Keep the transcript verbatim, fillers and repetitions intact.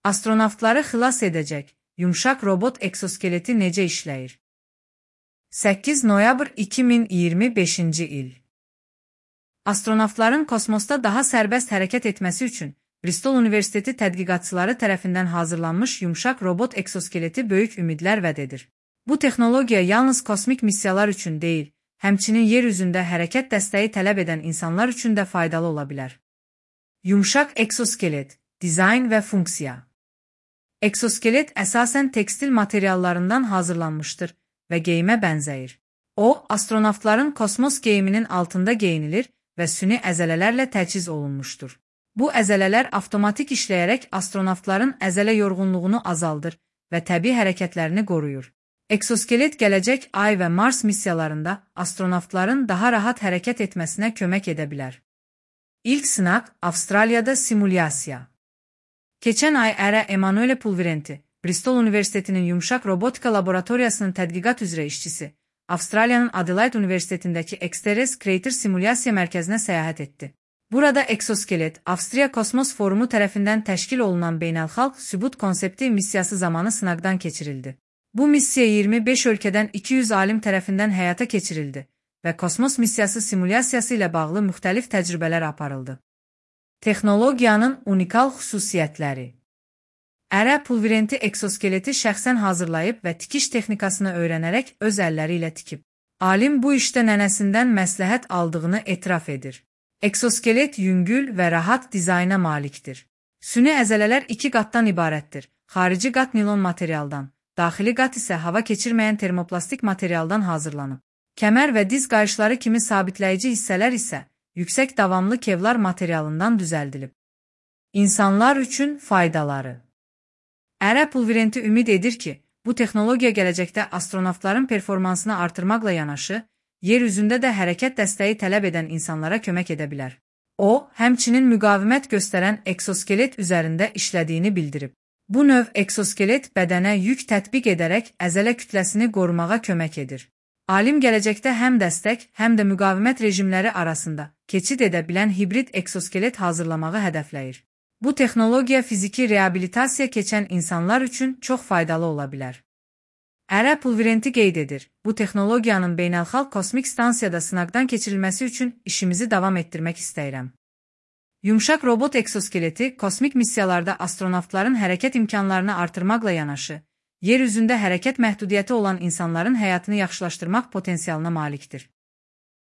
Astronavtları xilas edəcək yumşaq robot eksoskeleti necə işləyir? səkkiz noyabr iki min iyirmi beşinci il. Astronavtların kosmosda daha sərbəst hərəkət etməsi üçün Bristol Universiteti tədqiqatçıları tərəfindən hazırlanmış yumşaq robot eksoskeleti böyük ümidlər vəd edir. Bu texnologiya yalnız kosmik missiyalar üçün deyil, həmçinin yer üzündə hərəkət dəstəyi tələb edən insanlar üçün də faydalı ola bilər. Yumşaq eksoskelet, dizayn və funksiya. Eksoskelet əsasən tekstil materiallarından hazırlanmışdır və geyimə bənzəyir. O, astronavtların kosmos geyiminin altında geyinilir və süni əzələlərlə təchiz olunmuşdur. Bu əzələlər avtomatik işləyərək astronavtların əzələ yorğunluğunu azaldır və təbii hərəkətlərini qoruyur. Eksoskelet gələcək Ay və Mars missiyalarında astronavtların daha rahat hərəkət etməsinə kömək edə bilər. İlk sınaq Avstraliyada simulyasiya. Keçən ay Ərə Emanuele Pulvirenti, Bristol Universitetinin yumşaq robotika laboratoriyasının tədqiqat üzrə işçisi, Avstraliyanın Adelaide Universitetindəki Exteres Crater Simulyasiya mərkəzinə səyahət etdi. Burada eksoskelet, Avstriya Kosmos Forumu tərəfindən təşkil olunan beynəlxalq sübut konsepti missiyası zamanı sınaqdan keçirildi. Bu missiya iyirmi beş ölkədən iki yüz alim tərəfindən həyata keçirildi və kosmos missiyası simulyasiyası ilə bağlı müxtəlif təcrübələr aparıldı. Texnologiyanın unikal xüsusiyyətləri. Ərə Pulvirenti eksoskeleti şəxsən hazırlayıb və tikiş texnikasını öyrənərək öz əlləri ilə tikib. Alim bu işdə nənəsindən məsləhət aldığını etiraf edir. Eksoskelet yüngül və rahat dizayna malikdir. Süni əzələlər iki qatdan ibarətdir. Xarici qat nilon materialdan, daxili qat isə hava keçirməyən termoplastik materialdan hazırlanıb. Kəmər və diz qayışları kimi sabitləyici hissələr isə yüksək davamlı kevlar materialından düzəldilib. İnsanlar üçün faydaları. Ərə Pulvirenti ümid edir ki, bu texnologiya gələcəkdə astronavtların performansını artırmaqla yanaşı, yer üzündə də hərəkət dəstəyi tələb edən insanlara kömək edə bilər. O, həmçinin müqavimət göstərən eksoskelet üzərində işlədiyini bildirib. Bu növ eksoskelet bədənə yük tətbiq edərək əzələ kütləsini qorumağa kömək edir. Alim gələcəkdə həm dəstək, həm də müqavimət rejimləri arasında keçid edə bilən hibrid eksoskelet hazırlamağı hədəfləyir. Bu texnologiya fiziki reabilitasiya keçən insanlar üçün çox faydalı ola bilər. Ərə Pulvirenti qeyd edir, bu texnologiyanın beynəlxalq kosmik stansiyada sınaqdan keçirilməsi üçün işimizi davam etdirmək istəyirəm. Yumşaq robot eksoskeleti kosmik missiyalarda astronavtların hərəkət imkanlarını artırmaqla yanaşı, yer üzündə hərəkət məhdudiyyəti olan insanların həyatını yaxşılaşdırmaq potensialına malikdir.